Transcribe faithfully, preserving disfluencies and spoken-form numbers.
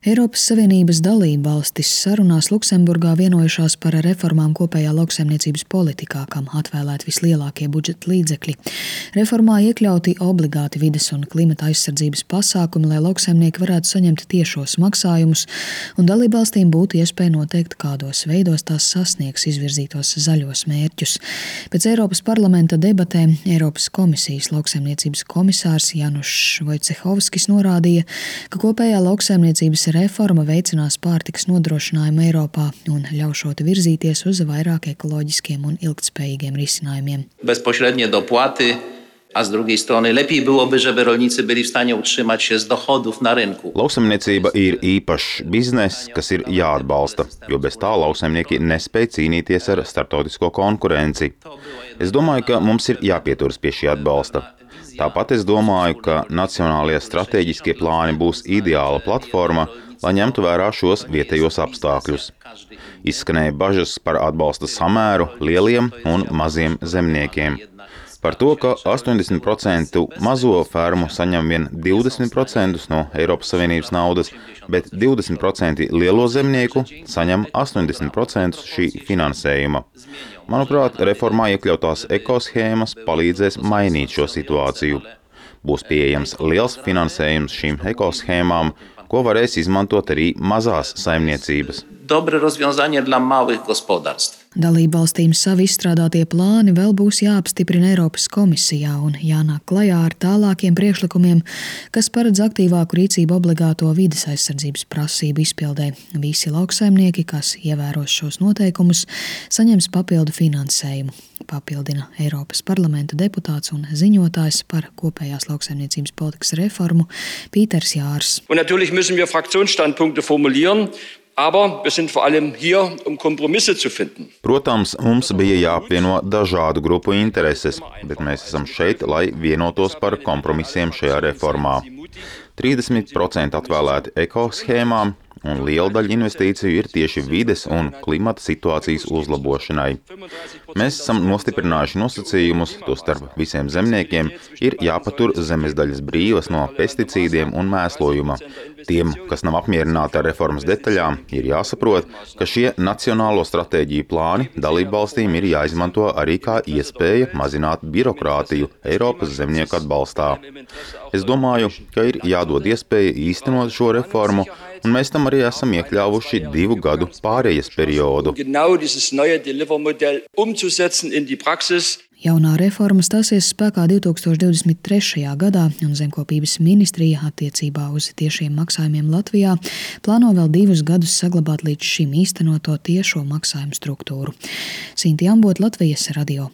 Eiropas Savienības dalībvalstis sarunās Luksemburgā vienojušās par reformām kopējā lauksaimniecības politikā, kam atvēlēti vislielākie budžeta līdzekļi. Reformā iekļauti obligāti vides un klimata aizsardzības pasākumi, lai lauksaimnieki varētu saņemt tiešos maksājumus, un dalībvalstīm būtu iespēja noteikt, kādos veidos tās sasniegs izvirzītos zaļos mērķus. Pēc Eiropas parlamenta debatēm Eiropas komisijas lauksaimniecības komisārs Janušs Vojcehovskis norādīja, ka kopējā lauksaimniecības reforma veicinās pārtikas nodrošinājumu Eiropā un ļaušot virzīties uz vairāk ekoloģiskiem un ilgtspējīgiem risinājumiem. Bezpośrednie dopłaty, a z drugiej strony lepiej byłoby, żeby rolnicy byli w stanie utrzymać się z dochodów na rynku. Lauksaimniecība ir īpašs bizness, kas ir jāatbalsta, jo bez tā lauksaimnieki nespēj cīnīties ar starptautisko konkurenci. Es domāju, ka mums ir jāpieturas pie šī atbalsta. Tāpat es domāju, ka nacionālie stratēģiskie plāni būs ideāla platforma, lai ņemtu vērā šos vietējos apstākļus. Izskanēja bažas par atbalsta samēru lieliem un maziem zemniekiem. Par to, ka astoņdesmit procenti mazo fermu saņem vien divdesmit procenti no Eiropas Savienības naudas, bet divdesmit procenti lielo zemnieku saņem astoņdesmit procenti šī finansējuma. Manuprāt, reformā iekļautās ekoshēmas palīdzēs mainīt šo situāciju. Būs pieejams liels finansējums šīm ekoshēmām, ko varēs izmantot arī mazās saimniecības. Dobre rozwiązanie dla małych gospodarstw. Dalībvalstīm savi izstrādātie plāni vēl būs jāapstiprina Eiropas komisijā un jānāk klajā ar tālākiem priekšlikumiem, kas paredz aktīvāku rīcību obligāto vides aizsardzības prasību izpildē. Visi lauksaimnieki, kas ievēros šos noteikumus, saņems papildu finansējumu. Papildina Eiropas parlamenta deputāts un ziņotājs par kopējās lauksaimniecības politikas reformu Pīters Jārs. Un natürlich müssen wir Fraktionsstandpunkte formulieren. Aber wir sind vor allem hier, um Kompromisse zu finden. Protams, mums bija jāapvieno dažādu grupu intereses, bet mēs esam šeit, lai vienotos par kompromisiem šajā reformā. trīsdesmit procenti atvēlēti ekoshēmām, un liela daļa investīciju ir tieši vides un klimata situācijas uzlabošanai. Mēs esam nostiprinājuši nosacījumus, tostarp visiem zemniekiem ir jāpatur zemes daļas brīvas no pesticīdiem un mēslojuma. Tiem, kas nav apmierināti ar reformas detaļām, ir jāsaprot, ka šie nacionālo stratēģiju plāni dalībvalstīm ir jāizmanto arī kā iespēja mazināt birokrātiju Eiropas zemnieku atbalstā. Es domāju, ka ir jādod iespēja īstenot šo reformu, un mēs tam arī esam iekļāvuši divu gadu pārejas periodu. Jaunā reforma stāsies spēkā divtūkstoš divdesmit trešajā gadā, un Zemkopības ministrija attiecībā uz tiešiem maksājumiem Latvijā plāno vēl divus gadus saglabāt līdz šim īstenoto tiešo maksājumu struktūru. Sinti Ambot, Latvijas radio.